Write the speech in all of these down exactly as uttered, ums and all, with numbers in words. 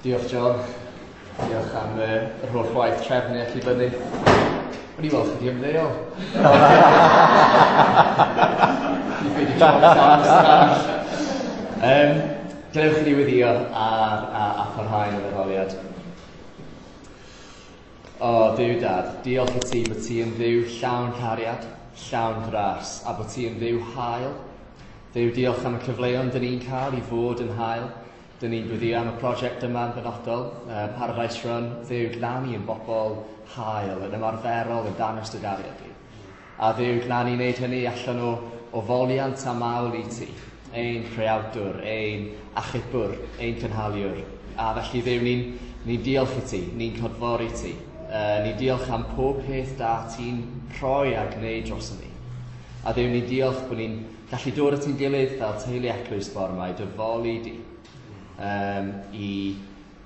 Diolch John. Diolch am uh, yr holl waith trefnu ac i fyny. O'n i weld chi di ymddeol. Di ffeindio job llawn arall. Um, Gadewch i ni weddio ar, a, a pharhau yn yr addoliad. O, Dduw Dad, diolch i ti bod ti yn Dduw llawn cariad, llawn gras, a bod ti yn Dduw hael. Dduw, diolch am y cyfleon dyn ni'n cael i fod yn hael. Dyn ni'n gweddio am y prosiect yma yn benodol, uh, Paradise Run. Dduw, gna ni yn bobl hael, yn ymarferol, yn dangos dy gariad di. A Dduw, gna ni wneud hynny allan o, o foliant a mawl i ti, ein creawdwr, ein achubwr, ein cynhaliwr. A felly Dduw, ni'n ni diolch i ti, ni'n clodfori ti. Uh, ni'n diolch am pob peth da ti'n rhoi a gwneud dros ni. A Dduw, ni'n diolch bod ni'n gallu dod at ein gilydd fel teulu eglwys bore yma i dy foli di, um, i,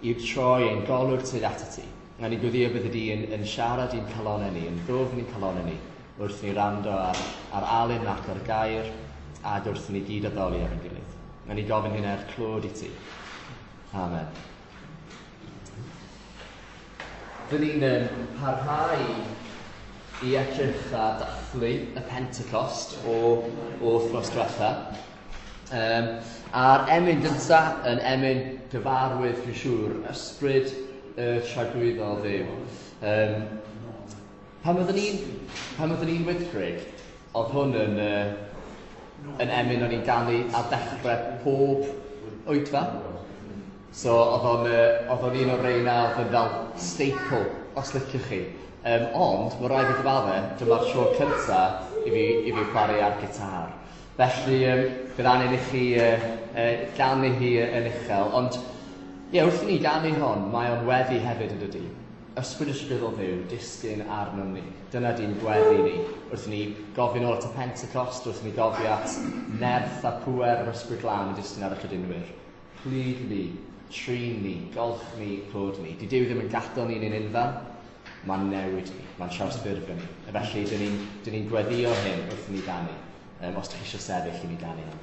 i troi ein golwg tuag atat ti. A ni'n gweddio byddi di yn, yn siarad i'n calonnau ni, yn ddwfn i'n calonnau ni, wrth ni wrando ar, ar Alun ac ar gair, ac wrth ni gyd addoli ar ein gilydd. A ni'n gofyn hyn er clod i ti. Amen. Dyn ni'n um, parhau i edrych a dathlu y Pentecost o, o wythnos diwetha. Um, a'r emyn gynta yn emyn gyfarwydd, dwi'n siŵr, ysbryd y tragwyddol Dduw. Um, pan oeddwn i'n pan oeddwn i'n Wyddgrug, oedd hwn yn, uh, yn emyn o'n i'n ganu ar ddechrau pob oedfa. So oedd o'n, uh, oedd o'n un o'r reina oedd yn fel staple, os liciwch chi. Um, ond, mae rhaid i gyfadde, dyma'r tro cynta i fi, i fi chwarae ar gitar. Felly, um, bydd angen i chi uh, uh, ganu hi yn uchel. Ond, ie, yeah, wrth i ni ganu hon, mae o'n weddi hefyd yn dydi. Ysbryd ysbrydol Dduw, disgyn arnom ni. Dyna di'n gweddi ni. Wrth i ni gofyn ôl at y Pentecost, wrth i ni gofio at nerth a pŵer yr Ysbryd Glân yn disgyn ar y credinwyr. Plug ni, trin ni, golch ni, clod ni. Di Duw ddim yn gadael ni'n ein unfan, mae'n newid ni, mae'n trawsffurfio ni. A felly, dyn ni'n ni gweddio hyn wrth i ni ganu. Um, os ydych chi eisiau sefyll i ni ganu hyn.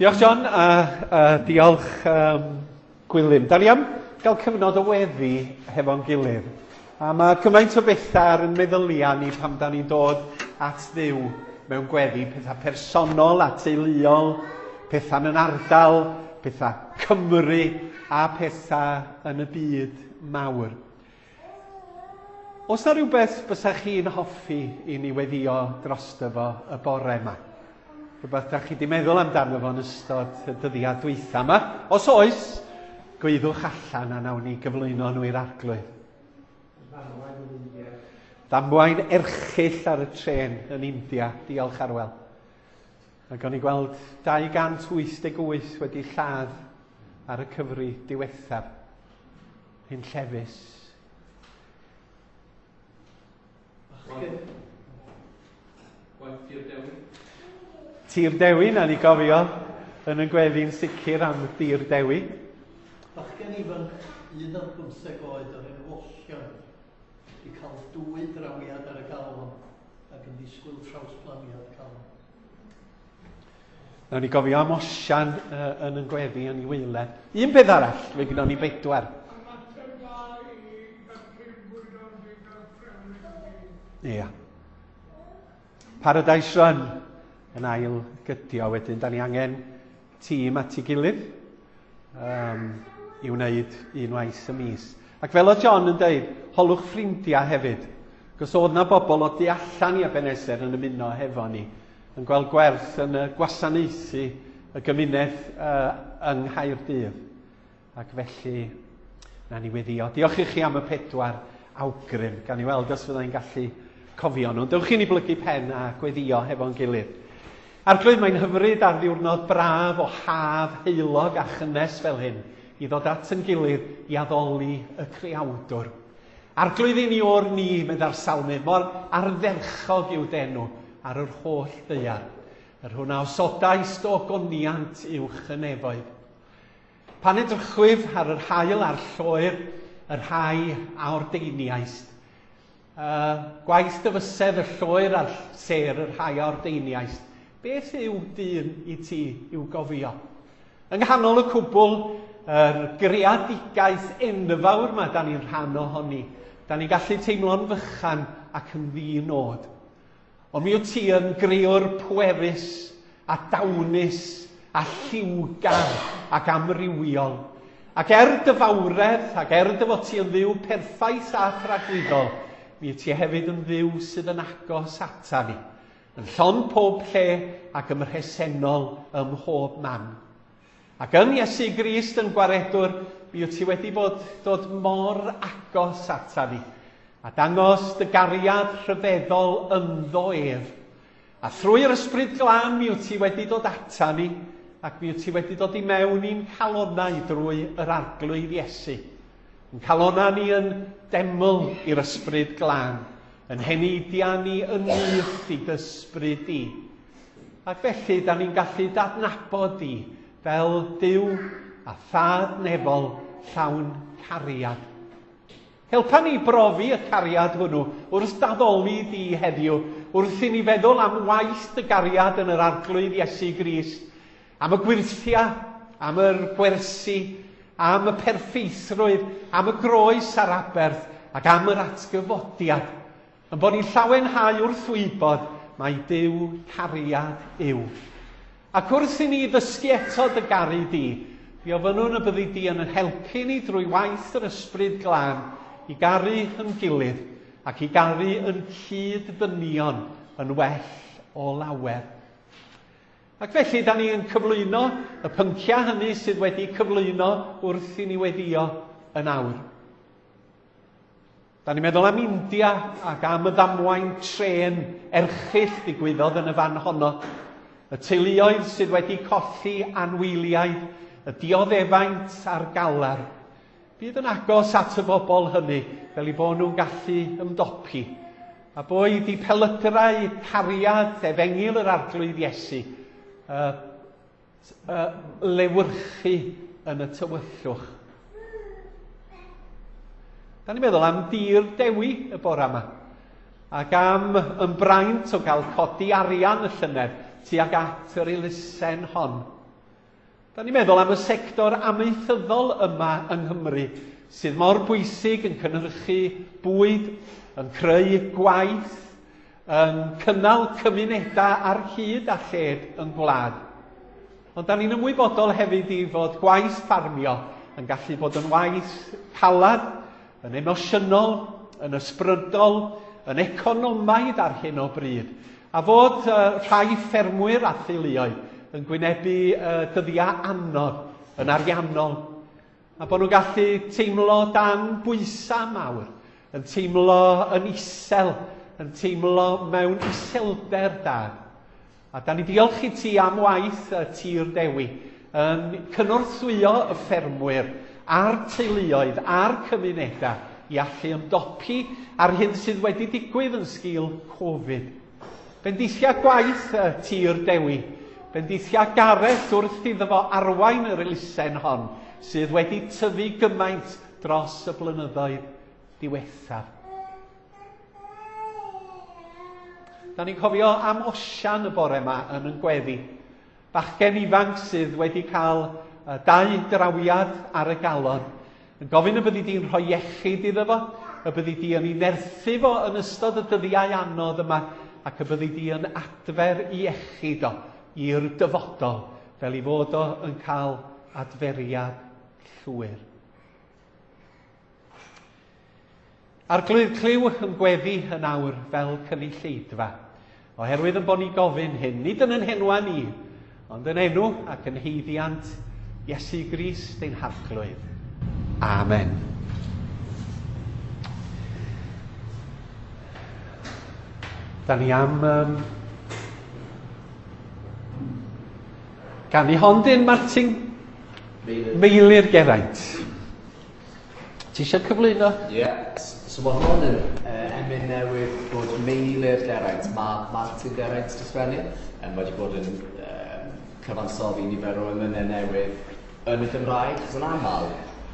Diolch John, a, a diolch um, Gwilym. Da ni am gael cyfnod o weddi hefo'n gilydd. A mae cymaint o bethau ar yn meddyliau ni pan da ni'n dod at Dduw mewn gweddi. Pethau personol a teuluol, pethau yn ardal, pethau Cymru a pethau yn y byd mawr. Oes na rhywbeth bysa chi'n hoffi i ni weddio drosto fo y bore yma? Rhywbeth da chi di meddwl amdano fo yn ystod y dyddiau dwytha yma. Os oes, gwyddwch allan a nawn ni gyflwyno nhw i'r Arglwydd. Ddamwain erchyll ar y trên yn India, diolch Arwel. Ac o'n i gweld dau gant wyth deg wyth wedi lladd ar y cyfri diwethaf. Hyn llefus. Bachgen. Gwaith Tir Dewi. Tir Dewi, na ni gofio yn y gweddi'n sicr am Tir Dewi. Bachgen ifanc, un ar bymtheg oed o'r enw Osian, i cael dwy drawiad ar y galon ac yn disgwyl trawsblaniad calon. Nawn ni gofio am Osian uh, yn y gweddi yn ei waeledd. Un peth arall, fe gynnon ni bedwar. Ia. Paradise Run yn ail gydio wedyn. Da ni angen tîm at ei gilydd um, i wneud unwaith y mis. Ac fel oedd John yn deud, holwch ffrindiau hefyd. Cos oedd na bobl o du allan i Ebenezer yn ymuno hefo ni, yn gweld gwerth yn y gwasanaethu y gymuned uh, yng Nghaerdydd. Ac felly, na ni weddio. Diolch i chi am y pedwar awgrym. Gan i weld os fyddai'n gallu cofio nhw. Dewch i ni blygu pen a gweddio hefo'n gilydd. Arglwydd, mae'n hyfryd ar ddiwrnod braf o haf heulog a chynnes fel hyn i ddod at yn gilydd i addoli y creawdwr. Arglwydd i ni o'r ni, meddai'r salmydd, mor ardderchog yw d'enw ar yr holl ddaear. Yr hwn a osodaist o goniant uwch y nefoedd. Pan edrychwyf ar yr haul a'r lloer, y rhai a ordeiniaist. Uh, gwaith dy fysedd y lloer a'r sêr, y rhai a ordeiniaist. Beth yw dyn i ti i'w gofio? Yng nghanol y cwbl, yr greadigaeth enfawr yma da ni'n rhan ohoni. Da ni'n gallu teimlo'n fychan ac yn ddi-nod. Ond mi wyt ti yn grewr pwerus a dawnus a lliwgar ac amrywiol. Ac er dy fawredd ac er dy fod ti yn ddiw perffaith a thragwyddol, mi wyt ti hefyd yn ddiw sydd yn agos ata ni, yn llon pob lle ac ym mhresennol ym mhob man. Ac yn Iesu Grist yn gwaredwr, mi wyt ti wedi bod dod mor agos ata ni, a dangos dy gariad rhyfeddol ynddo ef. A thrwy'r Ysbryd Glân mi wyt ti wedi dod ata ni, ac mi wyt ti wedi dod i mewn i'n calonnau drwy yr Arglwydd Iesu. Yn calonnau ni yn deml i'r Ysbryd Glân, yn heneidiau ni yn nyth i d'ysbryd di. Ac felly, da ni'n gallu dadnabod di fel Duw a Thad nefol llawn cariad. Helpa ni brofi y cariad hwnnw wrth daddoli di heddiw, wrth i ni feddwl am waith dy gariad yn yr Arglwydd Iesu Grist, am y gwyrthiau, am yr gwersi, am y perffeithrwydd, am y groes a'r aberth, ac am yr atgyfodiad. Yn bod ni'n llawenhau wrth wybod mai Duw cariad yw. Ac wrth i ni ddysgu eto dy garu di, mi ofynnwn y byddi di yn helpu ni drwy waith yr Ysbryd Glân i garu yn gilydd ac i garu yn cyd-ddynion yn well o lawer. Ac felly, da ni yn cyflwyno y pynciau hynny sydd wedi cyflwyno wrth i ni weddio yn awr. Da ni'n meddwl am India ac am y ddamwain trên erchyll ddigwyddodd yn y fan honno. Y teuluoedd sydd wedi colli anwyliaid, y dioddefaint a'r galar. Bydd yn agos at y bobl hynny fel i bod nhw'n gallu ymdopi. A boed i pelydrau cariad efengyl yr Arglwydd Iesu uh, uh, lewyrchu yn y tywyllwch. Da ni'n meddwl am Dir Dewi y bore yma, ac am ymbraint o gael codi arian y llynedd tuag at yr elusen hon. Da ni'n meddwl am y sector amaethyddol yma yng Nghymru, sydd mor bwysig yn cynhyrchu bwyd, yn creu gwaith, yn cynnal cymunedau ar hyd a lled yn gwlad. Ond da ni'n ymwybodol hefyd i fod gwaith ffarmio yn gallu bod yn waith calad, yn emosiynol, yn ysbrydol, yn economaidd ar hyn o bryd. A fod uh, rhai ffermwyr a theuluoedd yn gwynebu uh, dyddiau anodd yn ariannol. A bod nhw'n gallu teimlo dan bwysau mawr. yn teimlo yn isel, yn teimlo mewn iselder, Dad. A da ni diolch i ti am waith y Tir Dewi, yn cynorthwyo y ffermwyr a'r teuluoedd a'r cymunedau i allu ymdopi ar hyn sydd wedi digwydd yn sgil Covid. Bendithia gwaith y Tir Dewi, bendithia Gareth wrth iddo fo arwain yr elusen hon sydd wedi tyfu gymaint dros y blynyddoedd diwethaf. Da ni'n cofio am Osian y bore yma yn yn gweddi. Bachgen ifanc sydd wedi cael dau drawiad ar y galon. Yn gofyn y byddi di'n rhoi iechyd iddo fo, y byddi di yn ei nerthu fo yn ystod y dyddiau anodd yma, ac y byddi di yn adfer iechyd o i'r dyfodol, fel i fod o yn cael adferiad llwyr. Arglwydd, clyw yn gweddi yn awr fel cynulleidfa, oherwydd yn bod ni gofyn hyn, nid yn yn henwa ni, ond yn enw ac yn haeddiant Iesu Grist ein Harglwydd. Amen. Da ni am um, ganu hon dyn Martin Meilir Geraint. Ti eisiau cyflwyno? Ie. Yeah. So mae hon yn uh, emyn newydd bod Meilir Geraint, ma Martin Geraint di sgwennu, um, wedi bod yn um, cyfansoddi nifer o emynau newydd yn y Gymraeg, chos yn aml,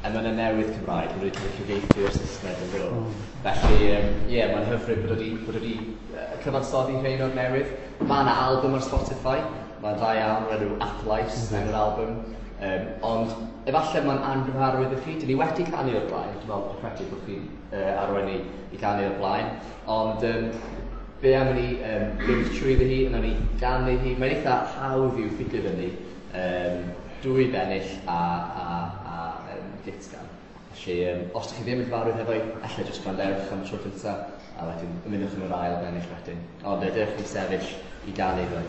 emynau newydd Cymraeg, wedi cael eu cyfieithu o'r Saesneg yn dod. Mm. Felly, ie, um, yeah, mae'n hyfryd bod wedi, bod wedi uh, cyfansoddi rhain o'r newydd. Mae yna album ar Spotify, mae'n dda iawn, o'r enw Athlais, mm. enw'r album. Um, ond efallai mae'n anghyfarwydd i chi. Dyn ni wedi canu o'r blaen, dwi'n meddwl, dwi'n credu bod chi'n uh, arwain ni i ganu o'r blaen. Ond um, be am i ni um, fynd trwyddi hi, yna ni ganu hi. Mae'n eitha hawdd i'w ffigur fyny. Um, dwy bennill a, a, a um, gytgan. Felly, um, os ydych chi ddim yn gyfarwydd hefo i, ella jyst gwrandewch am y tro cyntaf, a wedyn ymunwch yn yr ail bennill wedyn. Ond dewch i sefyll i ganu fo.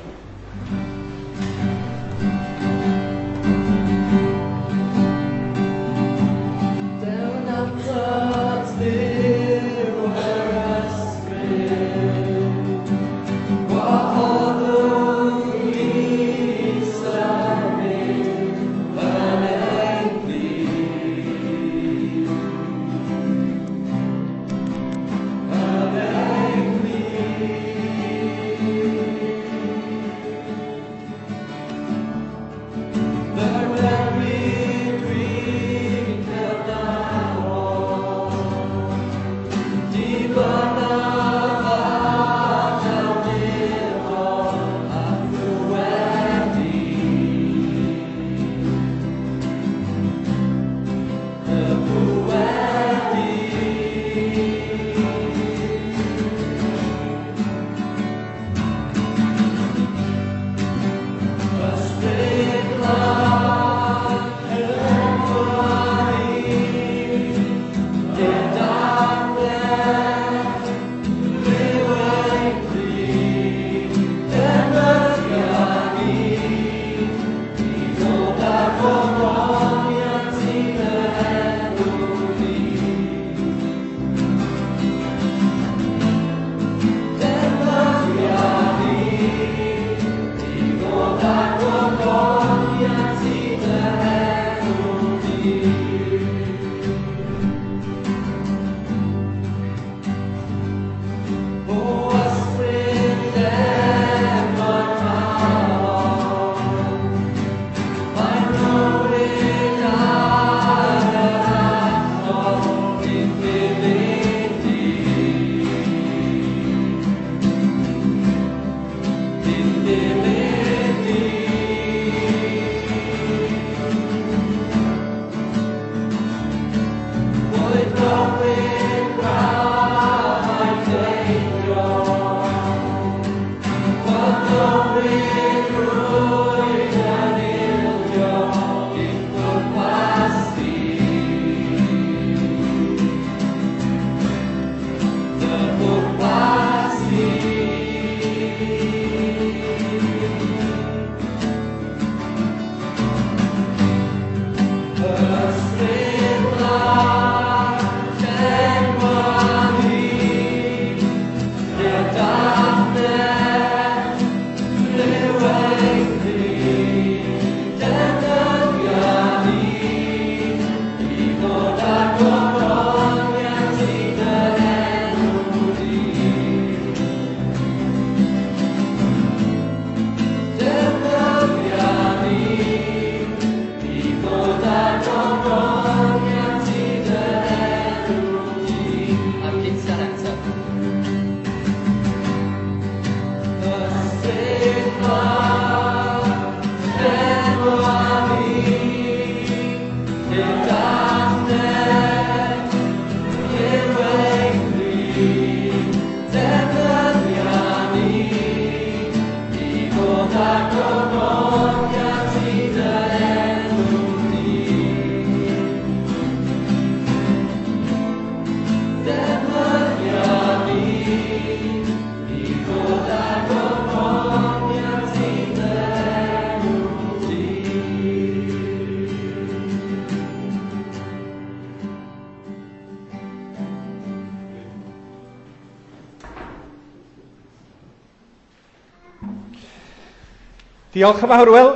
Diolch yn fawr. Wel,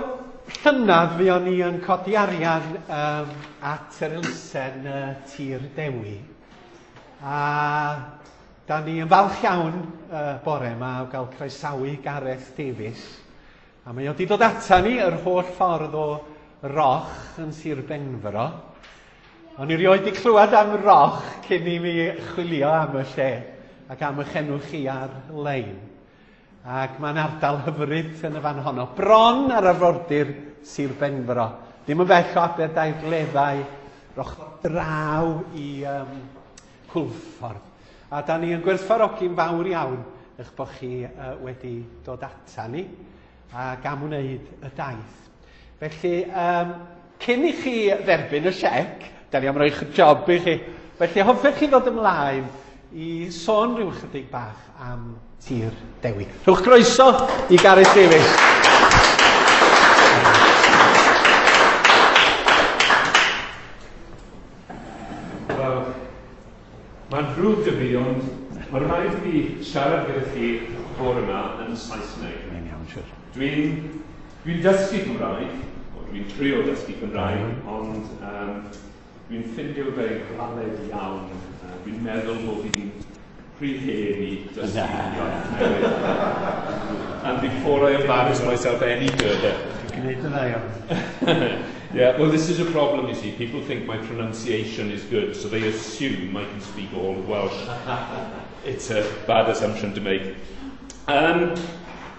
llynedd fuon ni yn codi arian um, at yr elusen uh, Tir Dewi. A da ni yn falch iawn uh, bore yma o gael croesawu Gareth Davies. A mae o wedi dod ata ni yr holl ffordd o Roch yn Sir Benfro. O'n i rioed wedi clywed am Roch cyn i mi chwilio am y lle ac am eich enw chi ar-lein. Ac mae'n ardal hyfryd yn y fan honno. Bron ar arfordir Sir Benfro. Ddim yn bell o Aberdaugleddau, ochr draw i um, Hwlffordd. A da ni yn gwerthfawrogi'n fawr iawn eich bod chi uh, wedi dod ata ni ac am wneud y daith. Felly, um, cyn i chi dderbyn y siec, da ni am roi'ch job i chi. Felly, hoffech chi ddod ymlaen i sôn rhyw chydig bach am Tir Dewi. Rhowch groeso i Gareth Davies. Wel, mae'n ddrwg 'da fi, ond mae'n rhaid i fi siarad gyda chi bore yma yn Saesneg. Mae'n iawn, siwr. Dwi'n dwi dysgu Cymraeg, o dwi'n trio dysgu Cymraeg, mm. ond um, dwi'n ffindio fe galed iawn. Uh, dwi'n meddwl bod fi'n rhy hen i dysgu iaith newydd. And before I embarrass myself any further. Dwi'n gwneud yn dda iawn. Yeah, well, this is a problem, you see. People think my pronunciation is good, so they assume I can speak all of Welsh. It's a bad assumption to make. Um,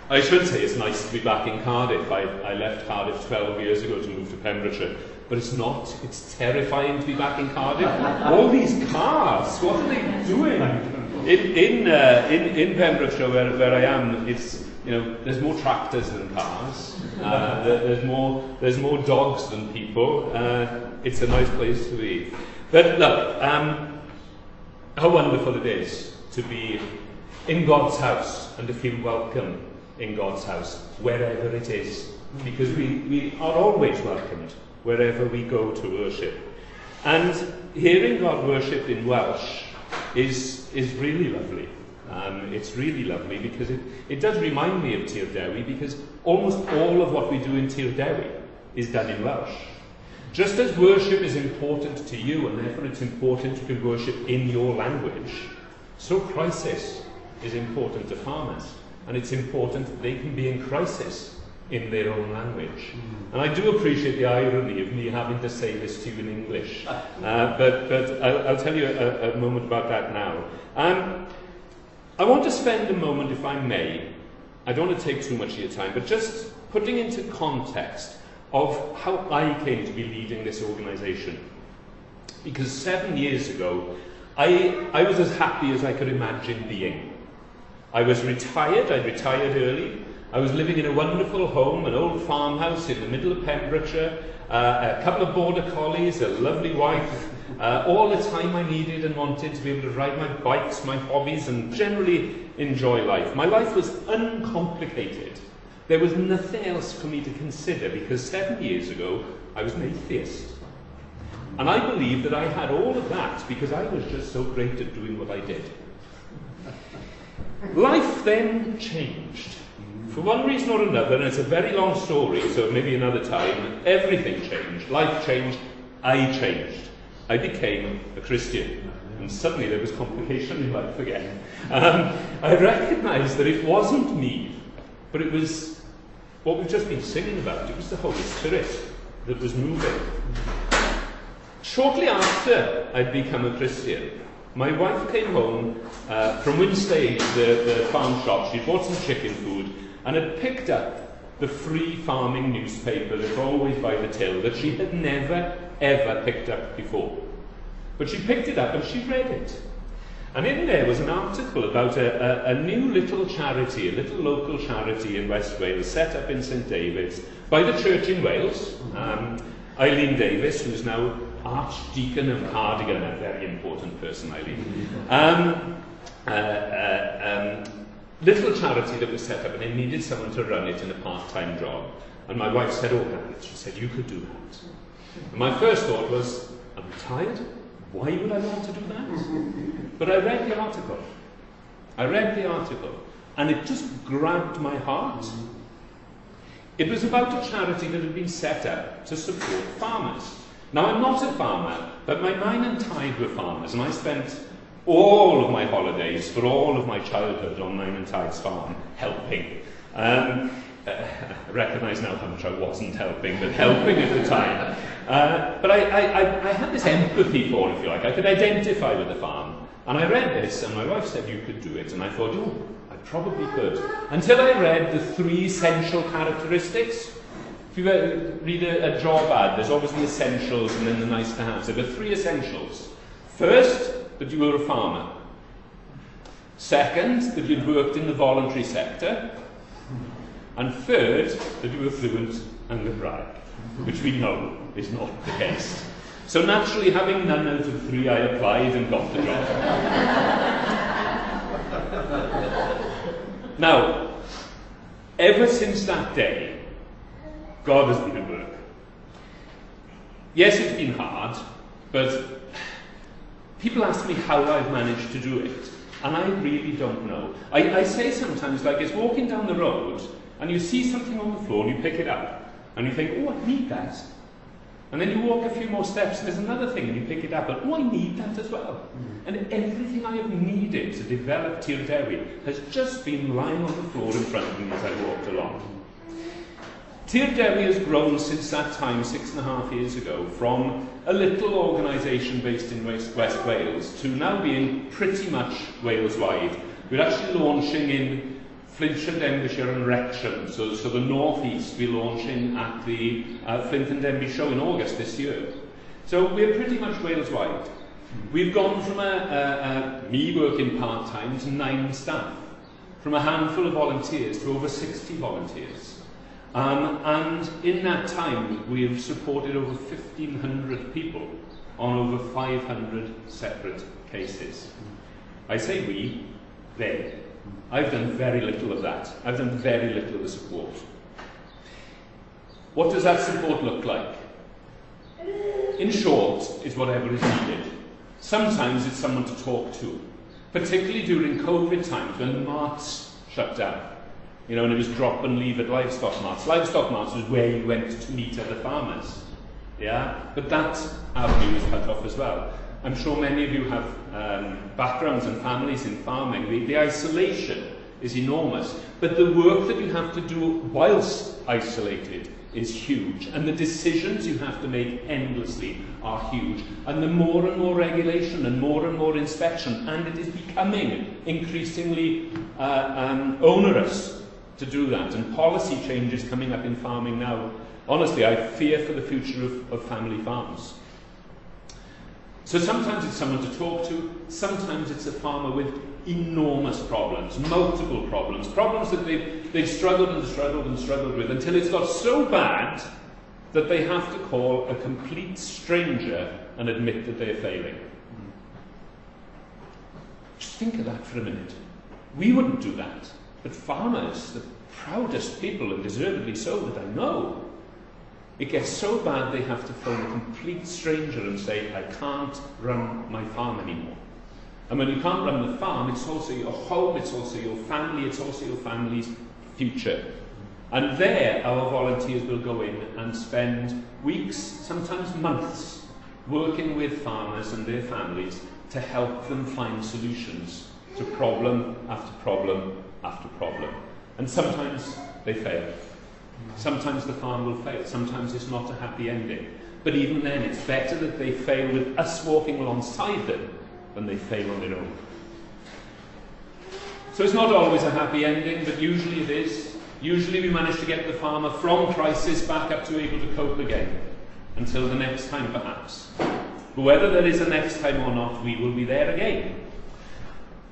I should say it's nice to be back in Cardiff. I, I left Cardiff twelve years ago to move to Pembrokeshire. But it's not. It's terrifying to be back in Cardiff. All these cars, what are they doing? In, in, uh, in, in Pembrokeshire, where, where I am, it's, you know, there's more tractors than cars. Uh, there, there's more, there's more dogs than people. Uh, it's a nice place to be. But look, um, how wonderful it is to be in God's house and to feel welcome in God's house, wherever it is. Because we, we are always welcomed wherever we go to worship. And hearing God worshipped in Welsh is, is really lovely. Um, it's really lovely because it, it does remind me of Tir Dewi, because almost all of what we do in Tir Dewi is done in Welsh. Just as worship is important to you, and therefore it's important you can worship in your language, so crisis is important to farmers, and it's important that they can be in crisis in their own language. Mm. And I do appreciate the irony of me having to say this to you in English, uh, but, but I'll, I'll tell you a, a moment about that now. Um, I want to spend a moment, if I may, I don't want to take too much of your time, but just putting into context of how I came to be leading this organisation. Because seven years ago, I, I was as happy as I could imagine being. I was retired, I retired early. I was living in a wonderful home, an old farmhouse in the middle of Pembrokeshire, uh, a couple of border collies, a lovely wife, uh, all the time I needed and wanted to be able to ride my bikes, my hobbies, and generally enjoy life. My life was uncomplicated. There was nothing else for me to consider because seven years ago, I was an atheist. And I believed that I had all of that because I was just so great at doing what I did. Life then changed. For one reason or another, and it's a very long story, so maybe another time, everything changed. Life changed. I changed. I became a Christian. And suddenly there was complication in life again. Um, I recognised that it wasn't me, but it was what we've just been singing about. It was the Holy Spirit that was moving. Shortly after I'd become a Christian, my wife came home uh, from Wynnstay, the, the farm shop. She bought some chicken food and had picked up the free farming newspaper that's always by the till that she had never, ever picked up before. But she picked it up and she read it. And in there was an article about a, a, a new little charity, a little local charity in West Wales, set up in Saint David's by the church in Wales. Um, Eileen Davis, who's now Archdeacon of Cardigan, a very important person, Eileen. Um, uh, uh, um, little charity that was set up and it needed someone to run it in a part-time job. And my wife said, oh, Gareth, she said, you could do that. And my first thought was, I'm retired? Why would I want to do that? But I read the article. I read the article, and it just grabbed my heart. It was about a charity that had been set up to support farmers. Now, I'm not a farmer, but my nain and taid were farmers, and I spent all of my holidays for all of my childhood on Nain and Taid's farm, helping. Um, uh, I recognise now how much I wasn't helping, but helping at the time. Uh, but I, I, I, I had this empathy for it, if you like. I could identify with the farm. And I read this, and my wife said you could do it, and I thought, oh, I probably could. Until I read the three essential characteristics. If you read a, a job ad, there's always the essentials and then the nice to have. So there are three essentials. First, that you were a farmer. Second, that you'd worked in the voluntary sector. And third, that you were fluent in Gymraeg, which we know is not the case. So naturally, having none out of three, I applied and got the job. Now, ever since that day, God has been at work. Yes, it's been hard, but people ask me how I've managed to do it, and I really don't know. I, I say sometimes, like, it's walking down the road, and you see something on the floor, and you pick it up, and you think, oh, I need that. And then you walk a few more steps, and there's another thing, and you pick it up, and oh, I need that as well. Mm. And everything I have needed to develop Tir Dewi has just been lying on the floor in front of me as I walked along. Tir Dewi has grown since that time, six and a half years ago, from a little organisation based in West, West Wales to now being pretty much Wales-wide. We're actually launching in Flintshire, Denbighshire and Wrexham, so, so the North East we're launching at the uh, Flint and Denby show in August this year. So we're pretty much Wales-wide. We've gone from a, a, a me working part-time to nine staff, from a handful of volunteers to over sixty volunteers. Um, and in that time, we have supported over fifteen hundred people on over five hundred separate cases. I say we, they. I've done very little of that. I've done very little of the support. What does that support look like? In short, it's whatever is needed. Sometimes it's someone to talk to, particularly during COVID times when the marts shut down. You know, and it was drop and leave at livestock marts. Livestock marts was where you went to meet other farmers. Yeah? But that avenue is cut off as well. I'm sure many of you have um, backgrounds and families in farming. The, the isolation is enormous. But the work that you have to do whilst isolated is huge. And the decisions you have to make endlessly are huge. And the more and more regulation and more and more inspection, and it is becoming increasingly uh, um, onerous to do that. And policy changes coming up in farming now. Honestly, I fear for the future of, of family farms. So sometimes it's someone to talk to, sometimes it's a farmer with enormous problems, multiple problems, problems that they've, they've struggled and struggled and struggled with until it's got so bad that they have to call a complete stranger and admit that they're failing. Just think of that for a minute. We wouldn't do that, but farmers, the proudest people, and deservedly so, that I know, it gets so bad they have to phone a complete stranger and say, I can't run my farm anymore. And when you can't run the farm, it's also your home, it's also your family, it's also your family's future. And there, our volunteers will go in and spend weeks, sometimes months, working with farmers and their families to help them find solutions to problem after problem after problem. And sometimes they fail. Sometimes the farm will fail. Sometimes it's not a happy ending. But even then, it's better that they fail with us walking alongside them than they fail on their own. So it's not always a happy ending, but usually it is. Usually we manage to get the farmer from crisis back up to able to cope again, until the next time perhaps. But whether there is a next time or not, we will be there again.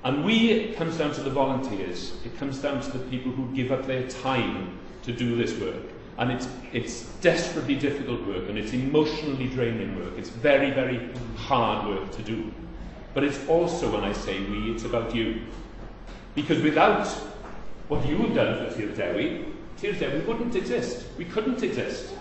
And we, it comes down to the volunteers. It comes down to the people who give up their time to do this work. And it's, it's desperately difficult work, and it's emotionally draining work. It's very, very hard work to do. But it's also, when I say we, it's about you. Because without what you have done for Tir Dewi, Tir Dewi wouldn't exist. We couldn't exist.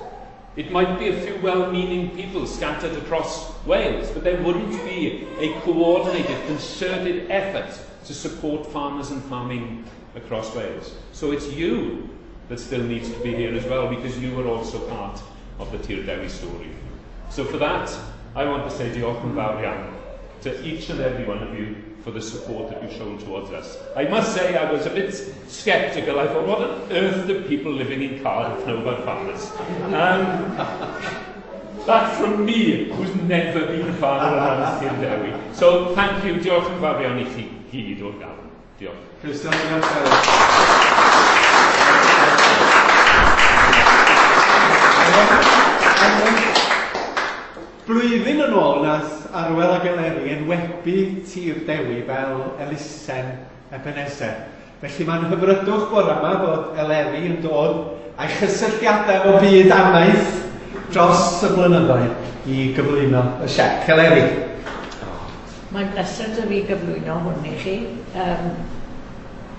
It might be a few well-meaning people scattered across Wales, but there wouldn't be a coordinated, concerted effort to support farmers and farming across Wales. So it's you that still needs to be here as well, because you are also part of the Tir Dewi story. So for that, I want to say diolch yn fawr iawn to each and every one of you for the support that you've shown towards us. I must say I was a bit sceptical. I thought, what on earth do people living in Cardiff know about farmers? Um, that from me, who's never been a farmer around Tir Dewi. So thank you, diolch yn fawr iawn i chi gyd o'r galon. Diolch. Croeso, diolch. Blwyddyn yn ôl nath Arwel ac Eleri enwebu Tir Dewi fel elusen Ebenezer. Felly mae'n hyfrydwch bore yma fod Eleri yn dod a'i chysylltiadau efo byd amaeth dros y blynyddoedd i gyflwyno y siec. Eleri. Mae'n bleser 'da fi gyflwyno hwn i chi. Um,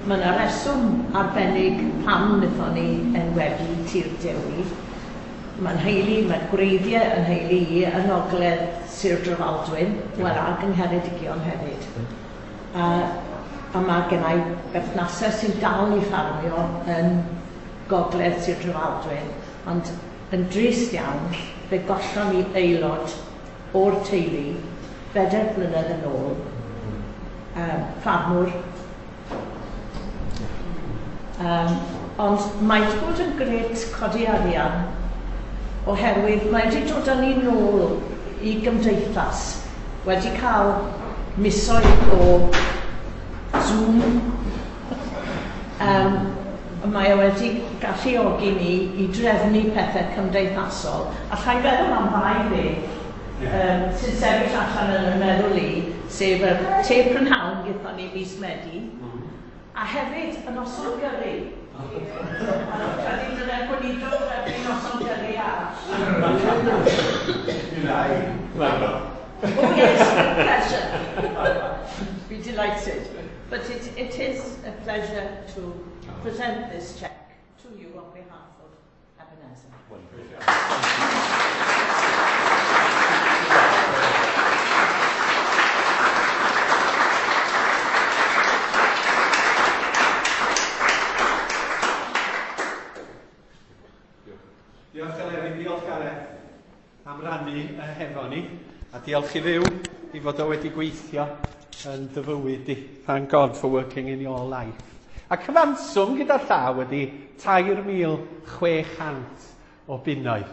mae yna reswm arbennig pam wnaethon ni enwebu Tir Dewi. Mae'n nheulu, mae'n gwreiddiau yn nheulu i yn ogledd Sir Drefaldwyn, wel ac yng Ngheredigion hefyd. A, a mae gennai berthnasau sy'n dal i ffarmio yn gogledd Sir Drefaldwyn, ond yn drist iawn, fe gollon ni aelod o'r teulu bedair blynedd yn ôl, um, ffarmwr. Um, ond mae wedi bod yn grêt codi arian oherwydd mae wedi dod â ni nôl i gymdeithas, wedi cael misoedd o Zoom. Um, mae o wedi galluogi ni i drefnu pethau cymdeithasol. Alla i feddwl am ddau beth um, sy'n sefyll allan yn y meddwl i, sef y te prynhawn gyda ni mis Medi, a hefyd y noson gyrru. A credu dyna'r gweinidog drefnu noson gyrru arall. Oh yes, pleasure. Be delighted. But it, it is a pleasure to present this cheque to you on behalf of Ebenezer. Diolch Eleri, diolch Gareth am rannu hefo ni, a diolch i Dduw i fod o wedi gweithio yn dy fywyd di. Thank God for working in your life. A cyfanswm gyda llaw wedi tair mil chwe chant o bunnoedd.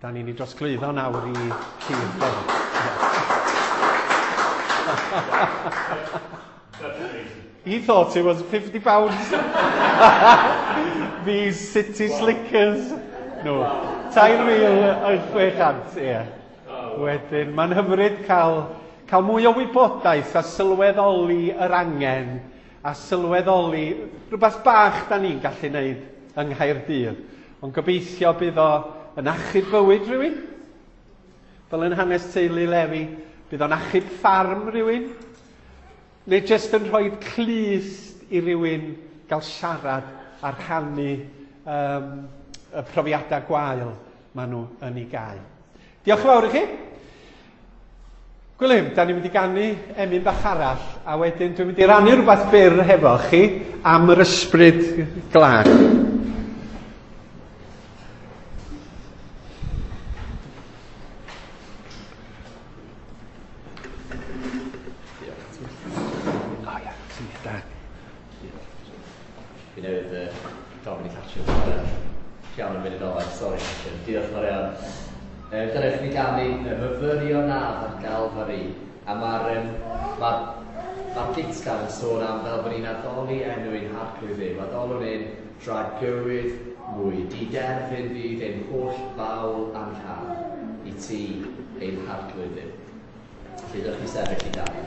Da ni'n ei drosglwyddo nawr i Tir Dewi. He thought it was fifty pounds. These city slickers. No, tair mil chwe chant, ie. Wedyn, mae'n hyfryd cael, cael mwy o wybodaeth a sylweddoli yr angen a sylweddoli rhywbeth bach da ni'n gallu neud yng Nghaerdydd. Ond gobeithio bydd o yn achub bywyd rhywun, fel yn hanes teulu Lefi, bydd o'n achub ffarm rhywun, neu jyst yn rhoi clust i rywun gael siarad a rhannu um, y profiadau gwael maen nhw yn ei gael. Diolch yn fawr i chi. Gwilym, da ni'n mynd i ganu emyn bach arall, a wedyn dwi'n mynd i rannu rhywbeth byr hefo chi am yr ysbryd glân. O ia, syniad da. Fi newydd uh, gofyn i Catrin piano yn munud olaf, sori Catrin. Diolch yn fawr iawn. Dyna chi ganu myfyrio nadd ar Galfari, a mae'r um, ma, ma gytgan yn sôn am fel bod ni'n addoli enw ein harglwydd Dduw, addolwn ein dragywydd mwy, diderfyn fydd ein holl fawl a'n rhan i ti ein harglwydd Dduw. Felly dewch i sefyll i ganu.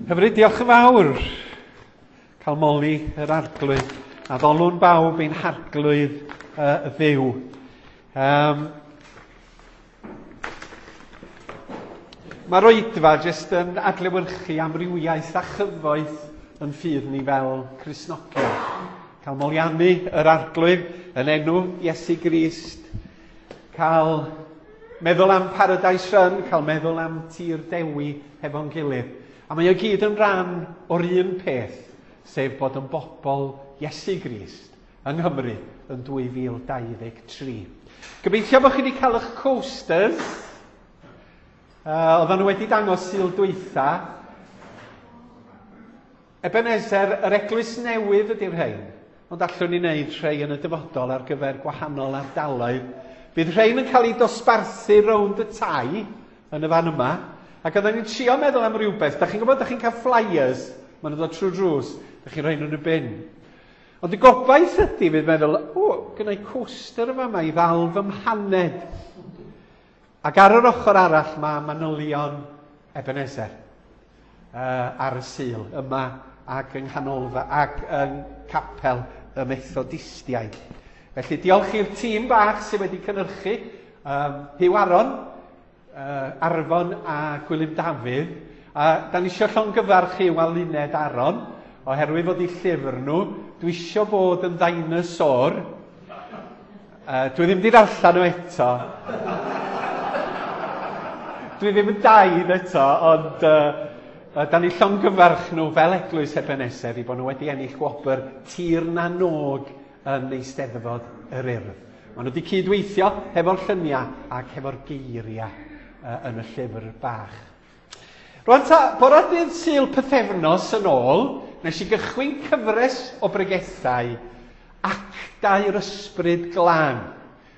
Hyfryd, diolch yn fawr. Cael moli yr arglwydd. A ddolwn bawb ein harglwydd uh, Dduw. Um, Mae'r oedfa jyst yn adlewyrchu amrywiaeth a chyfoeth yn ffydd ni fel Cristnogion. Cael moliannu yr arglwydd yn enw Iesu Grist. Cael meddwl am Paradise Run, cael meddwl am Tir Dewi hefo'n gilydd. A mae o gyd yn rhan o'r un peth, sef bod yn bobl Iesu Grist yng Nghymru yn dwy fil dau ddeg tri. Gobeithio bod chi wedi cael eich coasters. Uh, oedden nhw wedi dangos Sul dwytha. Ebenezer, yr eglwys newydd ydy'r rhain, ond allwn ni wneud rhai yn y dyfodol ar gyfer gwahanol ardaloedd. Bydd rhain yn cael eu dosbarthu rownd y tai yn y fan yma, ac oedden ni'n trio meddwl am rhywbeth. Da chi'n gwybod, da chi'n cael flyers, maen nhw'n dod trwy drws, da chi'n rhoi nhw'n y bin. Ond y gobaith ydy fydd meddwl, o, gynna i coaster yma yma i ddal fy mhaned. Ac ar yr ochr arall mae manylion Ebenezer uh, ar y Sul yma ac yng Nghanolfa ac yng Capel y Methodistiaid. Felly diolch i'r tîm bach sydd wedi cynhyrchu, um, Huw Aron, uh, Arfon a Gwilym Dafydd. A da ni isio llongyfarch Huw a Luned Aron, oherwydd fod eu llyfr nhw, dwi isio bod yn dinosaur. Uh, dwi ddim wedi darllen nhw eto. Dwi ddim yn daid eto, ond uh, da ni llongyfarch nhw fel Eglwys Ebenezer i bod nhw wedi ennill gwobr Tir na Nog yn Eisteddfod yr Urdd. Maen nhw wedi cydweithio hefo'r lluniau ac hefo'r geiriau uh, yn y llyfr bach. Rwan ta, bore dydd Sul pythefnos yn ôl, nes i gychwyn cyfres o bregethau Actau'r Ysbryd Glân.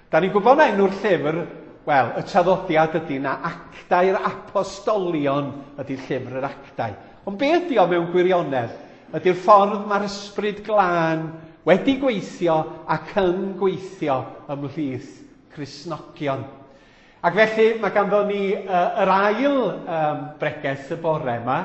Da ni'n gwybod na enw'r llyfr, wel, y traddodiad ydy na Actau'r Apostolion ydy llyfr yr Actau. Ond be ydy o mewn gwirionedd? Ydy'r ffordd mae'r Ysbryd Glân wedi gweithio ac yn gweithio ymhlith Cristnogion. Ac felly mae ganddo ni uh, yr ail um, bregeth y bore yma,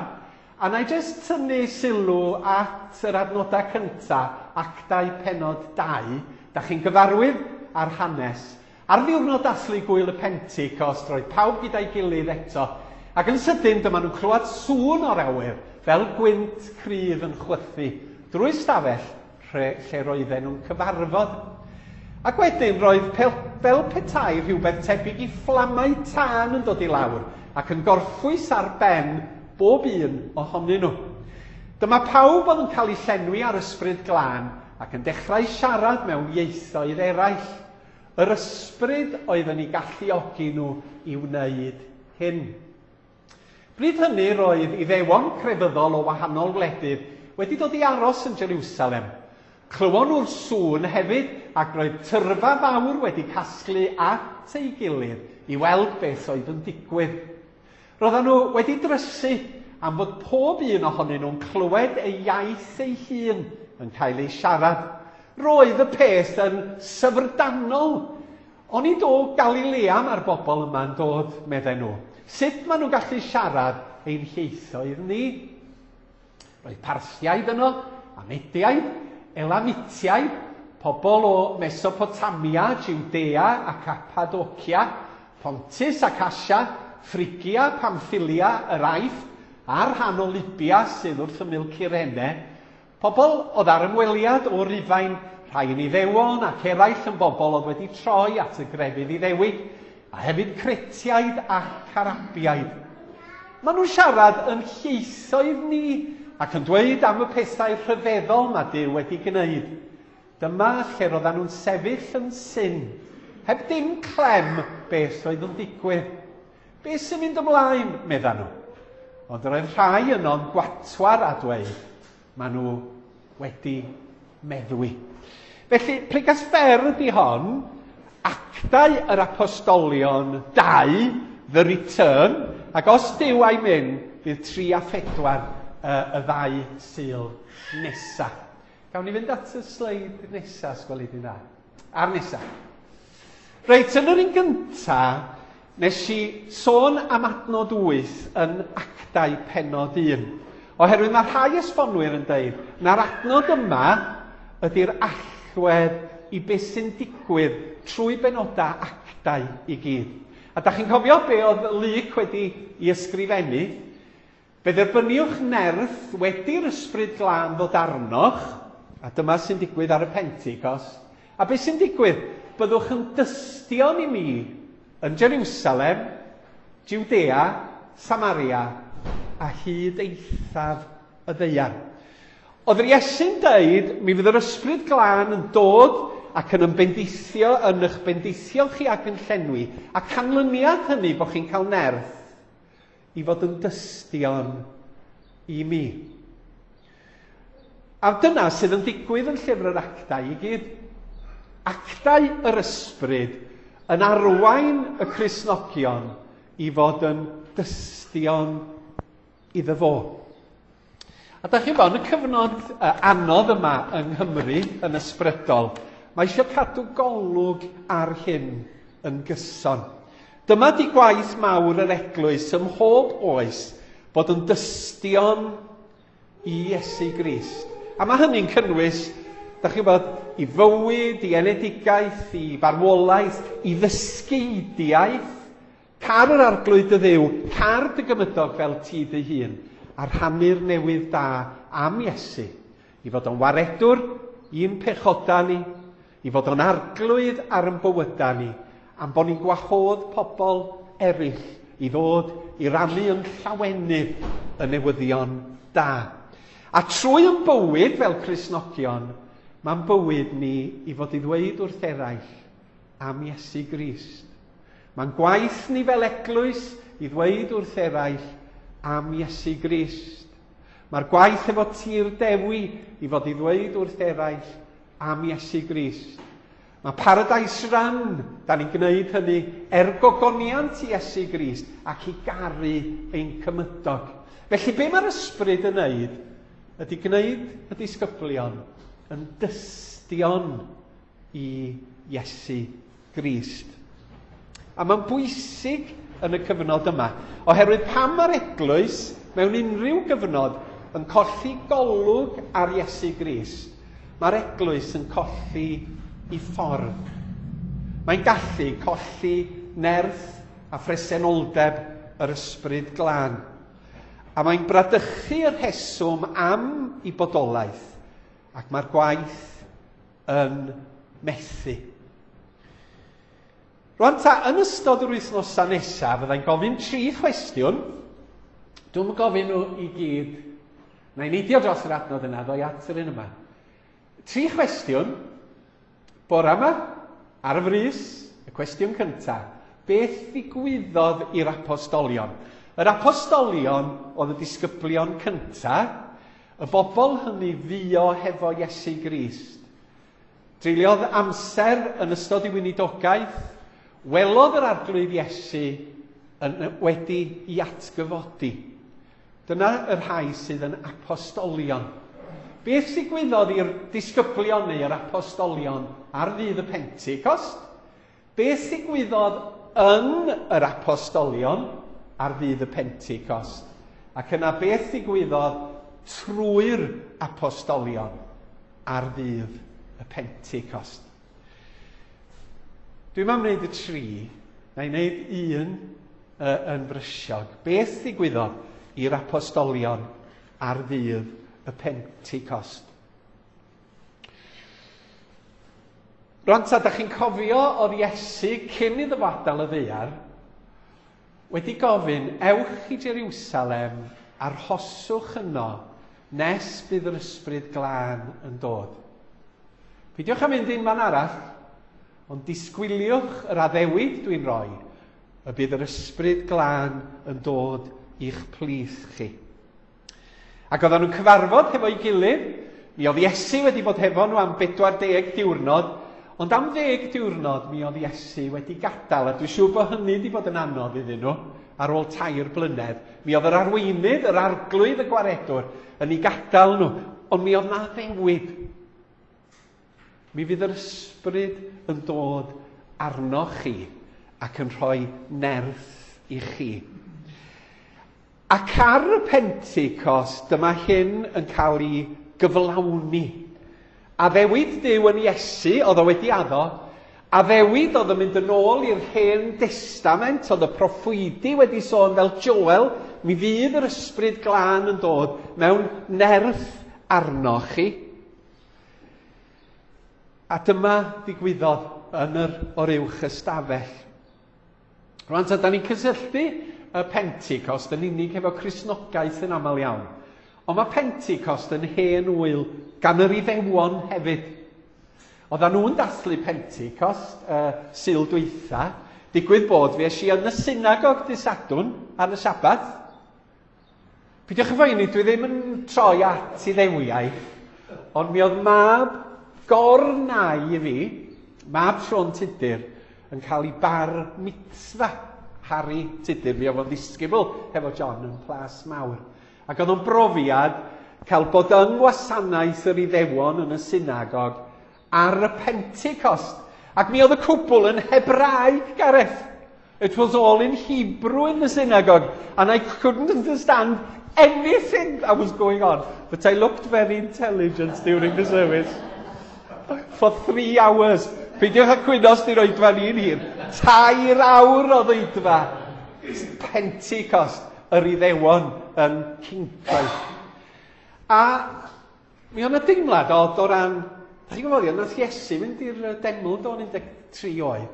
a na i jyst tynnu sylw at yr adnodau cyntaf, Actau pennod dau. Da chi'n gyfarwydd ar hanes. Ar ddiwrnod dathlu gwyl y Pentecost, roedd pawb gyda'i gilydd eto, ac yn sydyn dyma nhw'n clywed sŵn o'r awyr, fel gwynt cryf yn chwythu, drwy stafell lle roedden nhw'n cyfarfod. Ac wedyn roedd fel petai rhywbeth tebyg i fflamau tân yn dod i lawr ac yn gorffwys ar ben bob un ohonyn nhw. Dyma pawb oedd yn cael eu llenwi ar Ysbryd Glân ac yn dechrau siarad mewn ieithoedd eraill. Yr ysbryd oedd yn eu galluogi nhw i wneud hyn. Bryd hynny roedd Iddewon crefyddol o wahanol wledydd wedi dod i aros yn Jerusalem. Clywon nhw'r sŵn hefyd ac roedd tyrfa fawr wedi casglu at ei gilydd i weld beth oedd yn digwydd. Roedden nhw wedi drysu am fod pob un ohonyn nhw'n clywed ei iaith ei hun yn cael ei siarad. Roedd y peth yn syfrdanol. Oni do Galilea mae'r bobl yma'n dod, medden nhw. Sut maen nhw'n gallu siarad ein hieithoedd ni? Roedd Parthiaid yno, a Mediaid, Elamitiaid, pobl o Mesopotamia, Judea a Cappadocia, Pontus ac Asia, Phrygia, Pamphylia, yr Aifft, a'r rhan o Libia sydd wrth ymyl Cyrene, pobl oedd ar ymweliad o Rufain, rhai yn Iddewon ac eraill yn bobl oedd wedi troi at y grefydd Iddewig, a hefyd Cretiaid ac Arabiaid. Maen nhw'n siarad yn ieithoedd ni ac yn dweud am y pethau rhyfeddol mae Duw wedi gwneud. Dyma lle roedden nhw'n sefyll yn syn, heb dim clem beth oedd yn digwydd. Beth sy'n mynd ymlaen, meddan nhw. Ond roedd rhai yno'n gwatwar a dweud, maen nhw wedi meddwi. Felly, pregaeth fer ydy hon, Actau yr Apostolion dau, The Return, ac os Duw a'i mynd, bydd tri a phedwar uh, y ddau Sul nesa. Gawn ni fynd at y sleid nesa, sgweli di dda. A'r nesa. Reit, yn yr un gynta, nes i sôn am adnod wyth yn Actau pennod un. Oherwydd mae rhai esbonwyr yn deud na'r adnod yma ydy'r allwedd i beth sy'n digwydd trwy benodau actau i gyd. A da chi'n cofio be oedd Luc wedi i ysgrifennu? Fe dderbyniwch nerth wedi'r ysbryd glân ddod arnoch, a dyma sy'n digwydd ar y Pentecost. A beth sy'n digwydd? Byddwch yn dystion i mi yn Jerusalem, Judea, Samaria a hyd eithaf y ddaear. Oedd yr Iesu'n deud, mi fydd yr ysbryd glân yn dod ac yn ymbendithio, yn eich bendithio chi ac yn llenwi, a canlyniad hynny bod chi'n cael nerth i fod yn dystion i mi. A dyna sydd yn digwydd yn llyfr yr actau i gyd. Actau yr ysbryd yn arwain y Cristnogion i fod yn dystion iddo fo. A da chi'n bod, yn y cyfnod anodd yma yng Nghymru, yn ysbrydol, mae eisiau cadw golwg ar hyn yn gyson. Dyma di gwaith mawr yr eglwys ym mhob oes bod yn dystion i Iesu Grist. A mae hynny'n cynnwys, da chi'n bod, i fywyd, i enedigaeth, i farwolaeth, i ddysgeidiaeth, car yr arglwydd dy Dduw, car dy gymydog fel ti dy hun, a rhannu'r newydd da am Iesu, i fod o'n waredwr i'n pechoda ni, i fod o'n arglwydd ar yn bywyda ni, am bod ni'n gwahodd pobl eraill i ddod i rannu yn llawenydd y newyddion da. A trwy yn bywyd fel Cristnogion, mae'n bywyd ni i fod i ddweud wrth eraill am Iesu Grist. Mae'n gwaith ni fel eglwys i ddweud wrth eraill am Iesu Grist. Mae'r gwaith efo Tir Dewi i fod i ddweud wrth eraill am Iesu Grist. Mae Paradise Run, da ni'n gwneud hynny er gogoniant Iesu Grist ac i garu ein cymydog. Felly be mae'r ysbryd yn wneud ydy gwneud y disgyblion yn dystion i Iesu Grist. A mae'n bwysig yn y cyfnod yma, oherwydd pam mae'r eglwys mewn unrhyw gyfnod yn colli golwg ar Iesu Grist, mae'r eglwys yn colli i ffordd. Mae'n gallu colli nerth a phresenoldeb yr ysbryd glân. A mae'n bradychu yr rheswm am i bodolaeth, ac mae'r gwaith yn methu. Rwan ta, yn ystod yr wythnosau nesaf, fyddai'n gofyn tri chwestiwn. Dwi'm yn gofyn nhw i gyd. Na i neidio dros yr adnod yna, ddoi at yr un yma. Tri chwestiwn. Bora yma, ar y frys, y cwestiwn cyntaf. Beth ddigwyddodd i'r apostolion? Yr apostolion oedd y disgyblion cyntaf, y bobl hynny fuo hefo Iesu Grist. Treuliodd amser yn ystod ei weinidogaeth, welodd yr arglwydd Iesu yn, wedi i atgyfodi. Dyna y rhai sydd yn apostolion. Beth ddigwyddodd i'r disgyblion neu yr apostolion ar ddydd y Pentecost? Beth ddigwyddodd yn yr apostolion ar ddydd y Pentecost? Ac yna beth ddigwyddodd trwy'r apostolion ar ddydd y Pentecost? Dwi'n am wneud y tri, na i wneud un uh, yn brysiog. Beth ddigwyddodd i'r apostolion ar ddydd y Pentecost? Rwan ta, da chi'n cofio oedd Iesu cyn iddo fo adael y ddaear wedi gofyn, ewch i Jerusalem, arhoswch yno nes bydd yr ysbryd glân yn dod. Peidiwch â mynd un man arall, ond disgwyliwch yr addewid dwi'n rhoi, y bydd yr ysbryd glân yn dod i'ch plith chi. Ac oedden nhw'n cyfarfod hefo'i gilydd, mi oedd Iesu wedi bod hefo nhw am bedwar deg diwrnod, ond am ddeg diwrnod mi oedd Iesu wedi gadael, a dwi'n siŵr bod hynny wedi bod yn anodd iddyn nhw ar ôl tair blynedd. Mi oedd yr arweinydd, yr arglwydd, y gwaredwr yn ei gadael nhw, ond mi oedd na addewid. Mi fydd yr ysbryd yn dod arnoch chi ac yn rhoi nerth i chi. Ac ar y Pentecost, dyma hyn yn cael ei gyflawni. Addewid Duw yn Iesu, oedd o wedi addo, addewid oedd yn mynd yn ôl i'r Hen Destament, oedd y proffwydi wedi sôn fel Joel, mi fydd yr Ysbryd Glân yn dod mewn nerth arnoch chi. A dyma ddigwyddodd yn yr oruwch ystafell. Rwan, ta, da ni'n cysylltu y Pentecost yn unig efo Cristnogaeth yn aml iawn. Ond mae Pentecost yn hen wyl gan yr Iddewon hefyd. Oedden nhw'n dathlu Pentecost uh, Sul dwytha. Digwydd bod fi es i yn y synagog dydd Sadwrn ar y Sabath. Peidiwch â phoeni, dwi ddim yn troi at Iddewiaeth, ond mi oedd mab gornau i fi, mab Siôn Tudur, yn cael ei bar mitzvah. Harry Tudur, mi oedd o'n ddisgybl hefo John yn Plas Mawr. Ac oedd o'n brofiad cael bod yng ngwasanaeth yr Iddewon yn y synagog ar y Pentecost. Ac mi oedd y cwbl yn Hebraeg, Gareth. It was all in Hebrew in the synagogue. And I couldn't understand anything that was going on. But I looked very intelligent during the service. For three hours. Peidiwch â cwyno os di'r oedfa ni'n hir. Tair awr o oedfa. Pentecost yr Iddewon yn Cyncoed. A mi oedd yna deimlad od o ran, da chi'n gwybod, nath Iesu fynd i'r deml do'n un deg tri oed.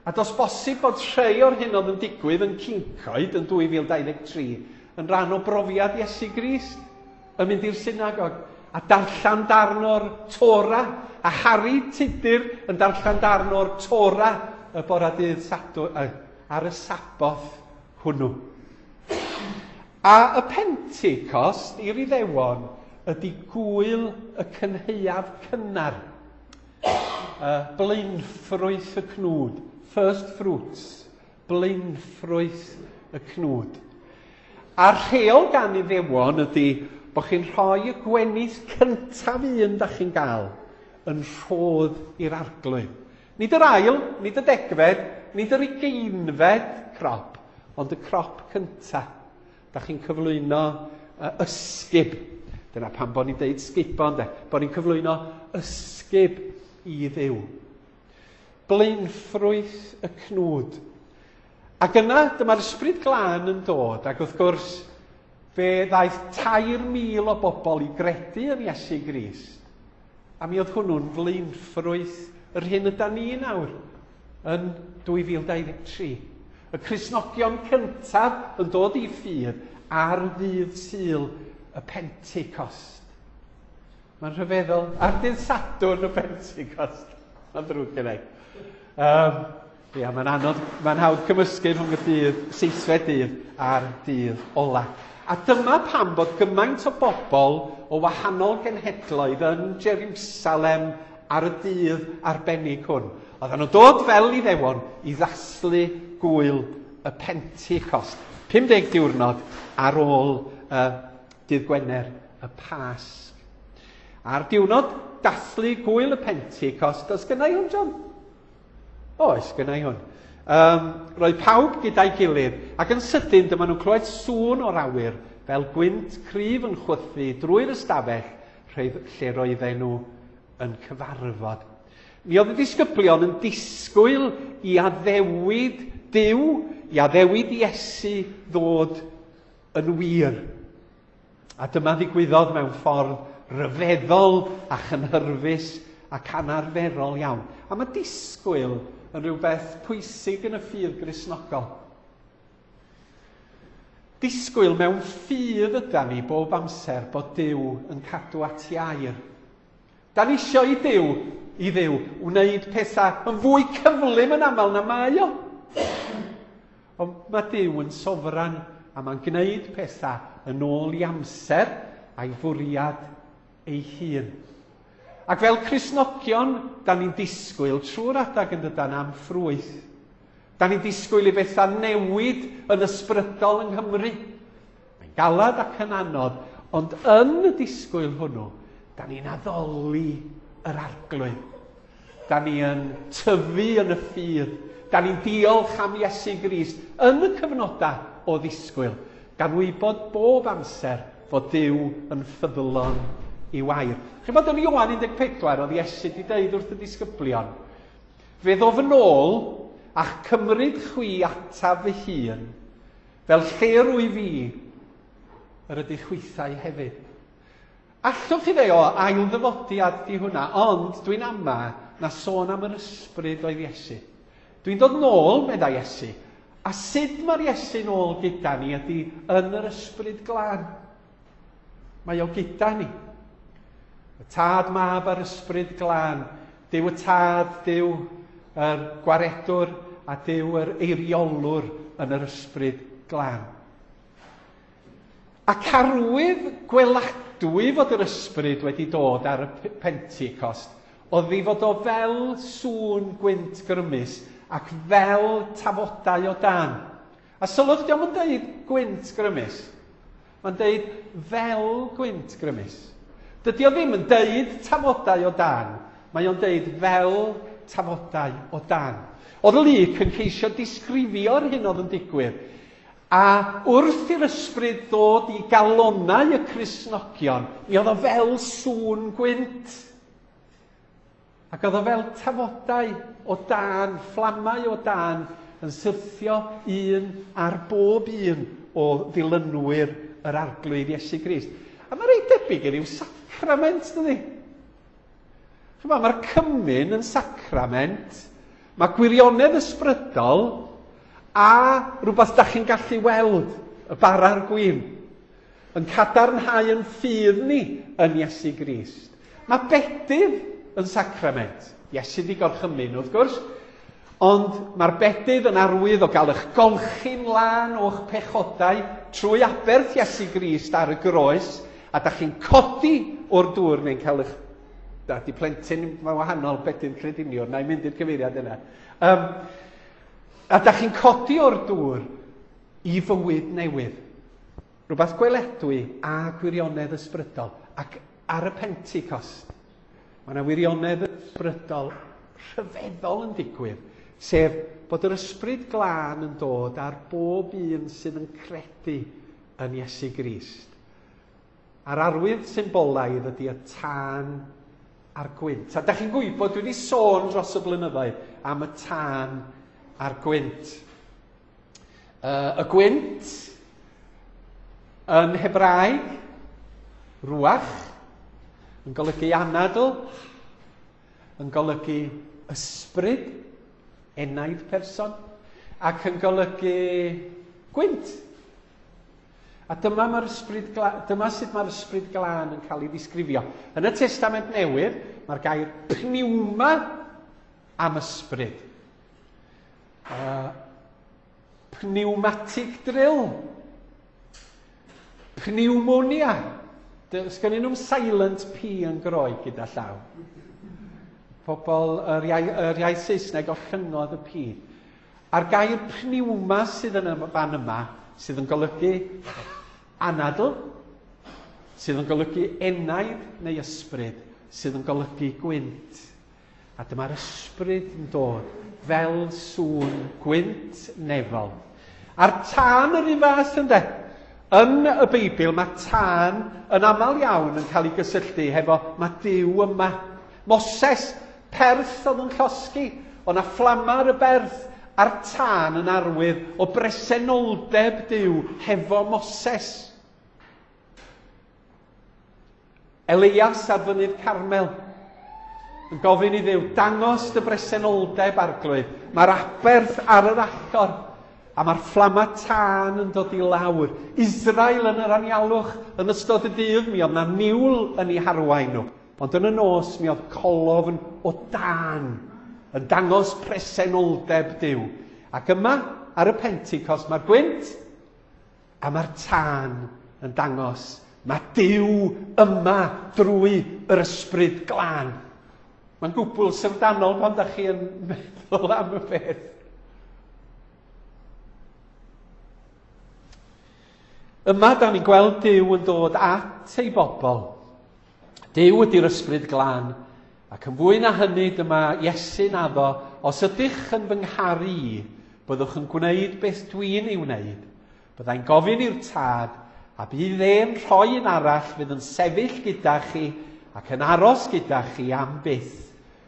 A does bosib bod rhai o'r hyn oedd yn digwydd yn Cyncoed yn dwy fil dau ddeg tri yn rhan o brofiad Iesu Grist, yn mynd i'r synagog a darllen darn o'r Tora, a Harry Tudur yn darllen darn o'r Tora y bora dydd Sadwrn, ar y Saboth hwnnw. A y Pentecost i'r Iddewon ydy gwyl y cynhaeaf cynnar, y blaenffrwyth y cnwd, first fruits, blaenffrwyth y cnwd. A'r rheol gan Iddewon ydy bod chi'n rhoi y gwenith cyntaf un da chi'n gael yn rhodd i'r Arglwydd. Nid yr ail, nid y degfed, nid yr ugeinfed crop, ond y crop cyntaf. Da chi'n cyflwyno uh, ysgub. Dyna pam bod ni'n deud sgubo, ynde? Bod ni'n cyflwyno ysgub i Dduw. Blaenffrwyth y cnwd. Ac yna, dyma'r Ysbryd Glân yn dod, ac wrth gwrs, fe ddaeth tair mil o bobl i gredu yn Iesu Grist. A mi oedd hwnnw'n flaenffrwyth yr hyn yda ni nawr yn dwy fil dau ddeg tri. Y Cristnogion cyntaf yn dod i ffydd ar ddydd Sul y Pentecost. Mae'n rhyfeddol. Ar dydd Sadwrn y Pentecost. Mae'n ddrwg gen i. Um, ia, mae'n anodd, mae'n hawdd cymysgu rhwng y dydd, seithfed dydd a'r dydd ola. A dyma pam bod gymaint o bobl o wahanol genhedloedd yn Jerusalem ar y dydd arbennig hwn. Oedden nhw'n dod fel Iddewon i ddathlu gwyl y Pentecost. pum deg diwrnod ar ôl uh, dydd Gwener y Pasg. A'r diwrnod dathlu gwyl y Pentecost, oes gynna i hwn, John? Oes, gynna i hwn. Um, roedd pawb gyda'i gilydd, ac yn sydyn dyma nhw'n clywed sŵn o'r awyr fel gwynt cryf yn chwythu drwy'r ystafell lle roedden nhw yn cyfarfod. Mi oedd y disgyblion yn disgwyl i addewid Duw, i addewid Iesu ddod yn wir. A dyma ddigwyddodd mewn ffordd ryfeddol a chynhyrfus ac anarferol iawn. A mae disgwyl yn rhywbeth pwysig yn y ffydd Gristnogol. Disgwyl mewn ffydd yda ni bob amser bod Duw yn cadw at ei air. Da ni isio i Duw, i Dduw wneud pethau yn fwy cyflym yn aml na mae o. Ond mae Duw yn sofran a mae'n gwneud pethau yn ôl i amser a'i fwriad ei hun. Ac fel Cristnogion, da ni'n disgwyl trwy'r adag yn dydan am ffrwyth. Da ni'n disgwyl i bethau newid yn ysbrydol yng Nghymru. Mae'n galad ac yn anodd, ond yn y disgwyl hwnnw, da ni'n addoli yr Arglwydd. Da ni yn tyfu yn y ffydd. Da ni'n diolch am Iesu Grist yn y cyfnodau o ddisgwyl. gan wybod bob amser fod Duw yn ffyddlon i'w air. Chi'n bod yn Ioan un deg pedwar, oedd Iesu wedi deud wrth y disgyblion, fe ddof yn ôl a'ch cymryd chwi ataf fy hun, fel lle rwy fi, yr ydych chwithau hefyd. Allwch chi ddeud, o, ail ddyfodiad di hwnna, ond dwi'n ama na sôn am yr ysbryd oedd Iesu. Dwi'n dod nôl, meddai Iesu, a sut mae'r Iesu nôl gyda ni ydy yn yr ysbryd glân. Mae o gyda ni. Y Tad, Mab a'r Ysbryd Glân. Duw y Tad, Duw yr Gwaredwr a Duw yr Eiriolwr yn yr Ysbryd Glân. Ac arwydd gweladwy fod yr ysbryd wedi dod ar y Pentecost, oedd i fod o fel sŵn gwynt grymus ac fel tafodau o dan. A sylwch, dio'm yn deud gwynt grymus. Mae'n deud fel gwynt grymus. Dydy o ddim yn deud tafodau o dan. Mae o'n deud fel tafodau o dan. Oedd Luc yn ceisio disgrifio'r hyn oedd yn digwydd. A wrth i'r ysbryd ddod i galonnau y Cristnogion, mi oedd o fel sŵn gwynt. Ac oedd o fel tafodau o dan, fflamau o dan, yn syrthio un ar bob un o ddilynwyr yr Arglwydd Iesu Grist. A mae reit debyg i ryw sacrament, dydy? Chymod, mae'r cymun yn sacrament, mae gwirionedd ysbrydol a rhywbeth da chi'n gallu weld, y bara'r gwin, yn cadarnhau yn ffydd ni yn Iesu Grist. Mae bedydd yn sacrament. Iesu di gorchymyn, wrth gwrs, ond mae'r bedydd yn arwydd o gael eich golchi'n lân o'ch pechodau trwy aberth Iesu Grist ar y groes, a da chi'n codi o'r dŵr neu'n cael eich... Da, di plentyn mae'n wahanol, bedydd crediniwr, na i mynd i'r cyfeiriad yna. Um, a da chi'n codi o'r dŵr i fywyd newydd. Rhywbeth gweledwy a gwirionedd ysbrydol. Ac ar y Pentecost, mae yna wirionedd ysbrydol rhyfeddol yn digwydd, sef bod yr ysbryd glân yn dod ar bob un sydd yn credu yn Iesu Grist. A'r arwydd symbolaidd ydy y tân a'r gwynt. A da chi'n gwybod, dwi wedi sôn dros y blynyddoedd am y tân a'r gwynt. Uh, y gwynt yn Hebraeg, ruach, yn golygu anadl, yn golygu ysbryd, enaid person, ac yn golygu gwynt. A dyma, mae'r ysbryd dyma sut mae'r ysbryd glân yn cael ei ddisgrifio. Yn y Testament Newydd, mae'r gair pneuma am ysbryd. Uh, pneumatic drill. Pneumonia. Sgennyn nhw'n silent P yn Groeg gyda llaw. Pobl, yr iaith, yr iaith Saesneg ollyngodd y P. A'r gair pneuma sydd yn y fan yma, sydd yn golygu anadl, sydd yn golygu enaid neu ysbryd, sydd yn golygu gwynt. A dyma'r ysbryd yn dod fel sŵn gwynt nefol. A'r tân yr un fath, ynde? Yn y Beibl mae tân yn aml iawn yn cael ei gysylltu hefo mae Duw yma. Moses, perth oedd yn llosgi, o'na fflama ar y berth, a'r tân yn arwydd o bresenoldeb Duw hefo Moses. Elias ar fynydd Carmel yn gofyn i Dduw, dangos dy bresenoldeb, Arglwydd. Mae'r aberth ar yr allor, a mae'r fflama tân yn dod i lawr. Israel yn yr anialwch yn ystod y dydd, mi oedd na niwl yn ei harwain nhw. Ond yn y nos, mi oedd colofn o dân yn dangos presenoldeb Duw. Ac yma, ar y Pentecost, mae'r gwynt a mae'r tân yn dangos mae Duw yma drwy yr ysbryd glân. Mae'n gwbl syfrdanol pan da chi yn meddwl am y peth. Yma, da ni'n gweld Duw yn dod at ei bobl. Duw ydy'r ysbryd glân. Ac yn fwy na hynny, dyma Iesu'n addo, os ydych yn fy ngharu i, byddwch yn gwneud beth dwi'n ei wneud. Byddai'n gofyn i'r Tad, a bydd e'n rhoi un arall fydd yn sefyll gyda chi ac yn aros gyda chi am byth,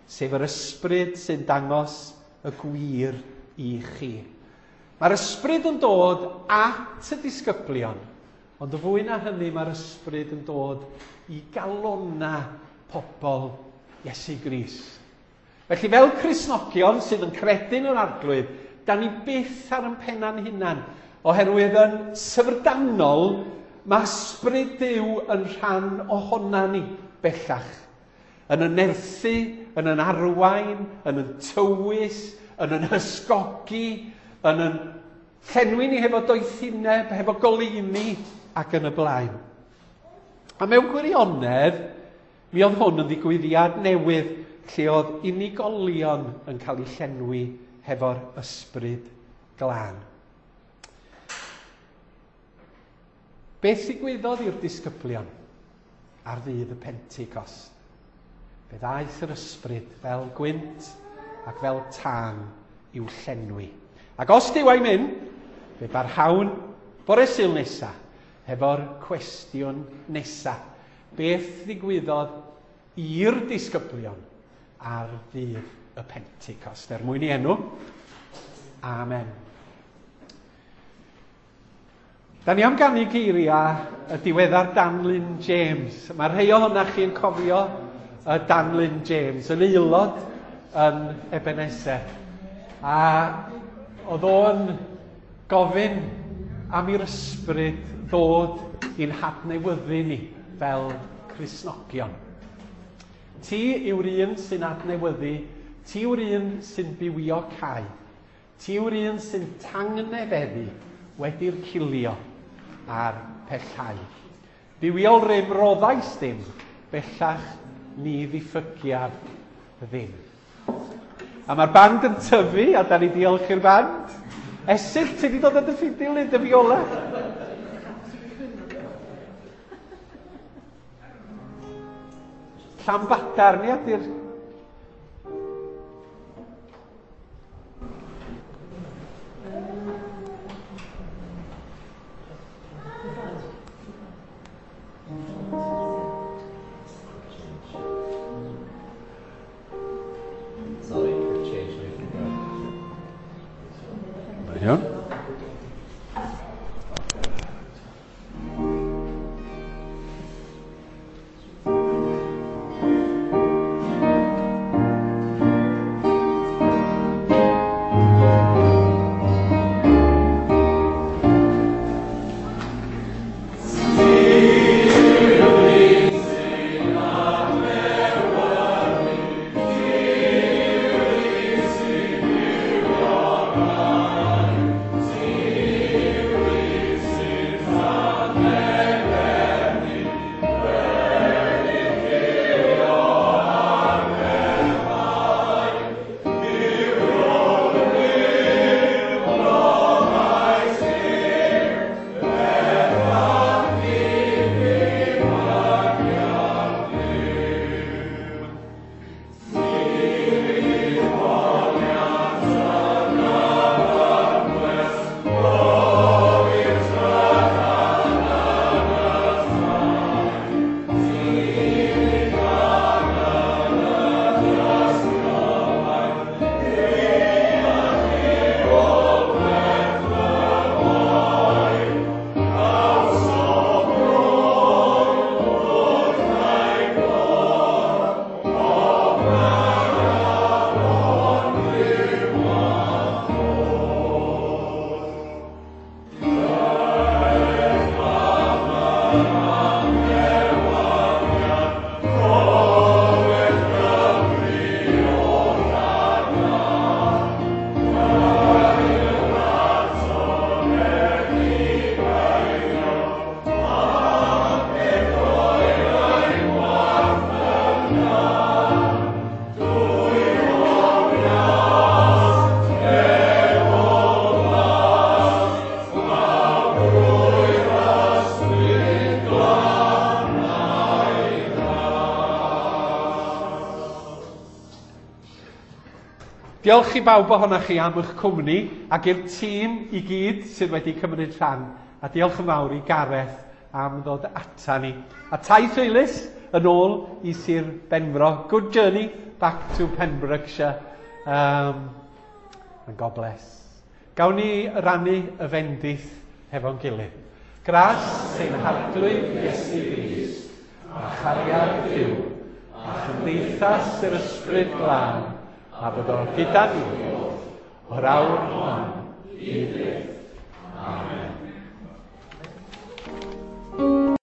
sef yr ysbryd sy'n dangos y gwir i chi. Mae'r ysbryd yn dod at y disgyblion, ond y fwy na hynny mae'r ysbryd yn dod i galona pobl Iesu Grist. Felly fel Cristnogion sydd yn credu'n yr Arglwydd, da ni byth ar ein penna'n hunan, oherwydd yn syfrdanol mae ysbryd Duw yn rhan ohona ni bellach. Yn yn nerthu, yn yn arwain, yn yn tywys, yn yn hysgogi, yn yn llenwi ni hefo doethineb, hefo goleuni ac yn y blaen. A mewn gwirionedd, mi oedd hwn yn ddigwyddiad newydd lle oedd unigolion yn cael eu llenwi hefo'r ysbryd glân. Beth ddigwyddodd i'r disgyblion ar ddydd y Pentecost? Fe ddaeth yr ysbryd fel gwynt ac fel tân i'w llenwi. Ac os Duw a'i mynd, fe barhawn bore Sul nesa hefo'r cwestiwn nesa. Beth ddigwyddodd i'r disgyblion ar ddydd y Pentecost? Er mwyn i enw, amen. Da ni am ganu geiriau y diweddar Dan Lynn James. Mae rhai ohonoch chi'n cofio y Dan Lynn James, yn aelod yn Ebenezer. A oedd o'n gofyn am i'r ysbryd ddod i'n hadnewyddu ni fel Cristnogion. Ti yw'r un sy'n adnewyddu, ti yw'r un sy'n bywio cae, ti yw'r un sy'n tangnefeddu wedi'r cilio a'r pellhau. Bywiol rym roddais ddim, bellach ni ddiffygiaf ddim. A mae'r band yn tyfu, a da ni diolch i'r band. Esyll, ti wedi dod â dy ffidil neu dy fiola? Llanbadarn, ia, di'r... Sorry, change me. Iawn. Diolch i bawb ohonoch chi am eich cwmni ac i'r tîm i gyd sydd wedi cymryd rhan. A diolch yn fawr i Gareth am ddod ata ni. A taith hwylus yn ôl i Sir Benfro. Good journey back to Pembrokeshire. Um, and God bless. Gawn ni rannu y fendith hefo'n gilydd. Gras ein Harglwydd Iesu Grist, a chariad Duw, a chymdeithas yr Ysbryd Glân, a byddo gyda ni o'r awr hon i byth. Amen.